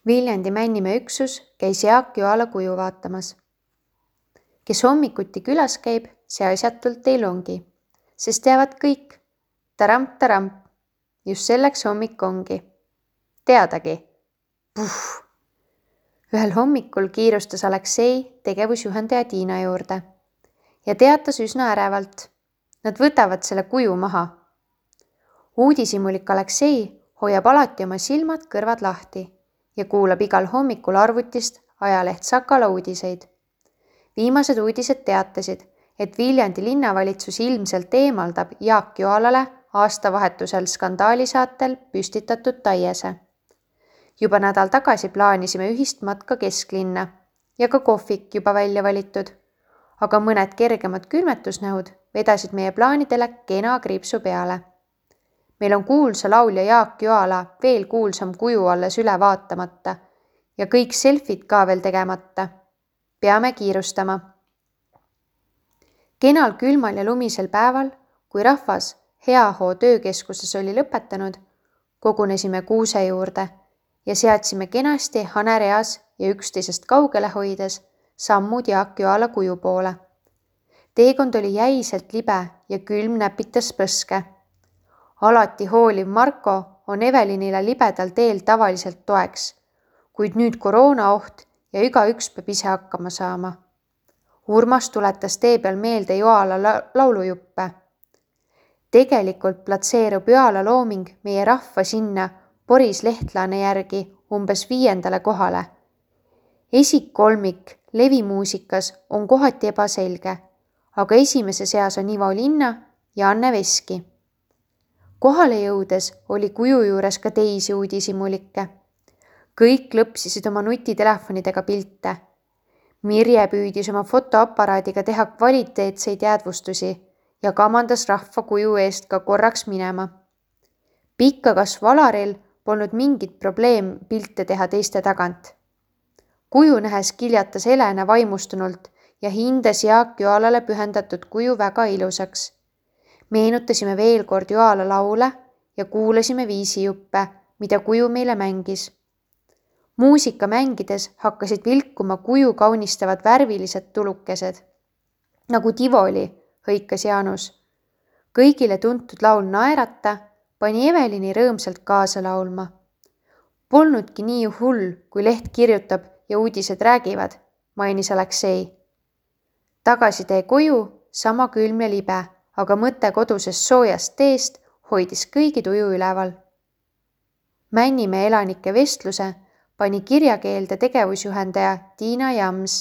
Viljandi Männimäe üksus käis Jaak Joala kuju vaatamas. Kes hommikuti külas käib, see asjatult ei longi, sest teavad kõik, taramp, just selleks hommik ongi. Teadagi. Puh! Ühel hommikul kiirustas Aleksei tegevusjuhendaja Tiina juurde ja teatas üsna ärevalt. Nad võtavad selle kuju maha. Uudishimulik Aleksei hoiab alati oma silmad kõrvad lahti ja kuulab igal hommikul arvutist ajaleht Sakala uudiseid. Viimased uudised teatasid, et Viljandi linnavalitsus ilmselt eemaldab Jaak Joalale aastavahetusel skandaalisaatel püstitatud taiese. Juba nädal tagasi plaanisime ühist matka kesklinna ja ka kohvik juba välja valitud, aga mõned kergemad külmetusnähud vedasid meie plaanidele kena kriipsu peale. Meil on kuulsa laulja Jaak Joala veel kuulsam kuju alles üle vaatamata ja kõik selfid ka veel tegemata. Peame kiirustama. Kenal külmal ja lumisel päeval, kui rahvas Heahoo töökeskuses oli lõpetanud, kogunesime kuuse juurde ja seadsime kenasti hanereas ja üksteisest kaugele hoides sammud Jaak Joala kuju poole. Teekond oli jäiselt libe ja külm näpitas põske. Alati hooliv Marko on Evelinile libedal teel tavaliselt toeks, kuid nüüd koroonaoht ja igaüks peab ise hakkama saama. Urmas tuletas tee peal meelde Joala laulujuppe. Tegelikult platseerub Joala looming meie rahva sinna Boris Lehtlane järgi umbes 5. kohale. Esikkolmik levimuusikas on kohati ebaselge, aga esimese seas on Ivo Linna ja Anne Veski. Kohale jõudes oli kuju juures ka teisi uudishimulikke. Kõik lõpsisid oma nutitelefonidega pilte. Mirje püüdis oma fotoaparaadiga teha kvaliteetseid jäädvustusi ja kamandas rahva kuju eest ka korraks minema. Pikkakasv Alaril polnud mingit probleem pilte teha teiste tagant. Kuju nähes kiljatas Helena vaimustunult ja hindas Jaak Joalale pühendatud kuju väga ilusaks. Meenutasime veel kord Joala laule ja kuulasime viisijuppe, mida kuju meile mängis. Muusika mängides hakkasid vilkuma kuju kaunistavad värvilised tulukesed. Nagu Tivoli, hõikas Jaanus. Kõigile tuntud laul Naerata pani Evelini rõõmsalt kaasa laulma. Polnudki nii hull, kui leht kirjutab ja uudised räägivad, mainis Aleksei. Tagasitee koju sama külm ja libe, aga mõte kodusest soojast teest hoidis kõigi tuju üleval. Männimäe elanike vestluse pani kirjakeelde tegevusjuhendaja Tiina Jams.